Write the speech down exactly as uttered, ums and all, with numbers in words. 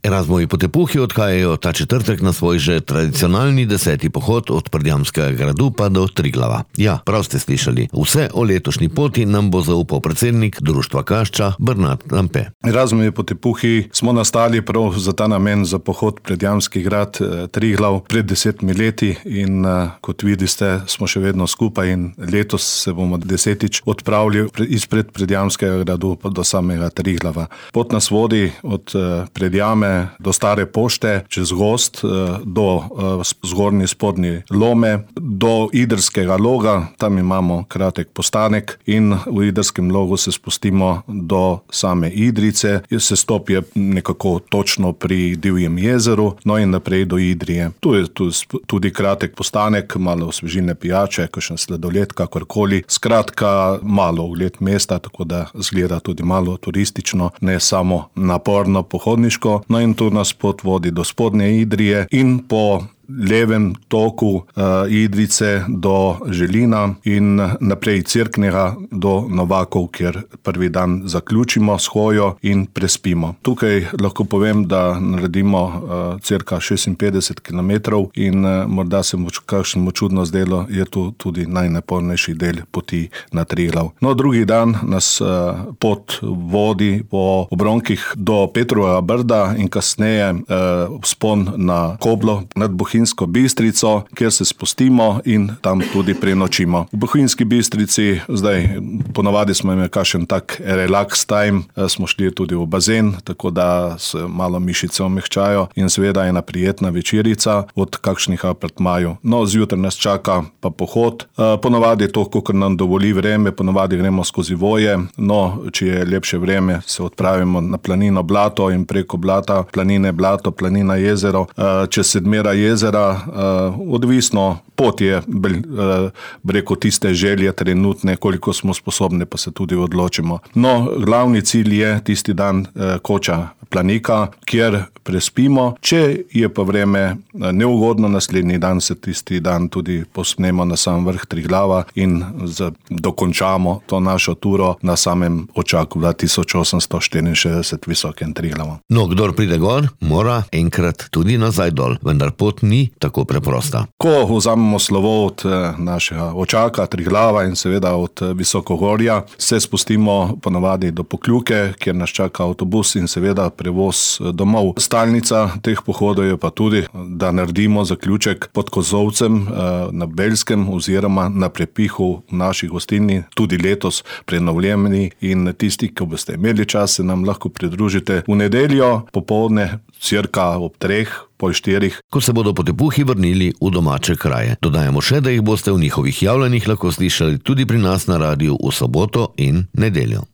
Erasmovi potepuhi odhajajo ta četrtek na svoj že tradicionalni deseti pohod od Predjamskega gradu pa do Triglava. Ja, prav ste slišali. Vse o letošnji poti nam bo zaupal predsednik Društva Kašča Bernard Lampe. Erasmovi potepuhi smo nastali prav za ta namen, za pohod Predjamski grad Triglav pred desetimi leti in kot vidite, smo še vedno skupaj in letos se bomo desetič odpravili izpred Predjamskega gradu pa do samega Triglava. Pot nas vodi od Predjame do Stare pošte, čez gozd, do zgornji spodnji Lome, do Idrskega Loga, tam imamo kratek postanek in v Idrskem Logu se spustimo do same Idrice, se stopi nekako točno pri Divjem jezeru, no in naprej do Idrije. Tu je tudi kratek postanek, malo osvežilne pijače, kakšen sladoled, kakorkoli. Skratka, malo ogled mesta, tako da zgleda tudi malo turistično, ne samo naporno pohodniško. No in tu nas pot vodi do spodnje Idrije in po levem toku uh, Idrice do Želina in naprej Cerknega do Novakov, kjer prvi dan zaključimo s hojo in prespimo. Tukaj lahko povem, da naredimo uh, cirka šestinpetdeset kilometrov in uh, morda se mu kakšnemu čudno zdelo, je tu tudi najnapornejši del poti na Triglav. No, drugi dan nas uh, pot vodi po obronkih do Petrovega Brda in kasneje uh, vzpon na Koblo nad Bohinjsko Bistrico, kjer se spustimo in tam tudi prenočimo. V Bohinjski Bistrici, zdaj ponavadi smo imeli kakšen tak relax time, smo šli tudi v bazen, tako da se malo mišice omehčajo in seveda ena prijetna večerica od kakšnih apartmajev. No, zjutraj nas čaka pa pohod. Ponavadi je to, kakor nam dovoli vreme, ponavadi gremo skozi Voje, no, če je lepše vreme, se odpravimo na planino Blato in preko Blata, planine Blato, planina jezero, čez Sedmera jezera. Uh, odvisno, pot je uh, preko tiste želje trenutne, koliko smo sposobni, pa se tudi odločimo. No, glavni cilj je tisti dan uh, Koča Planika, kjer prespimo. Če je pa vreme uh, neugodno, naslednji dan se tisti dan tudi posnemo na sam vrh Triglava in z, dokončamo to našo turo na samem očaku dva tisoč osemsto štiriinšestdeset visokem Triglavu. No, kdor pride gor, mora enkrat tudi nazaj dol, vendar pot ni tako preprosta. Ko vzamemo slovo od našega očaka Triglava in seveda od Visokogorja, se spustimo ponavadi do Pokljuke, kjer nas čaka avtobus in seveda prevoz domov. Stalnica teh pohodov je pa tudi, da naredimo zaključek pod Kozovcem na Belskem oziroma na Prepihu v naši gostilni, tudi letos prenovljeni in tisti, ki boste imeli čas, se nam lahko pridružite v nedeljo popoldne, cirka ob treh, pol štirih. Ko se bodo potepuhi vrnili v domače kraje. Dodajamo še, da jih boste v njihovih javljanjih lahko slišali tudi pri nas na radiju v soboto in nedeljo.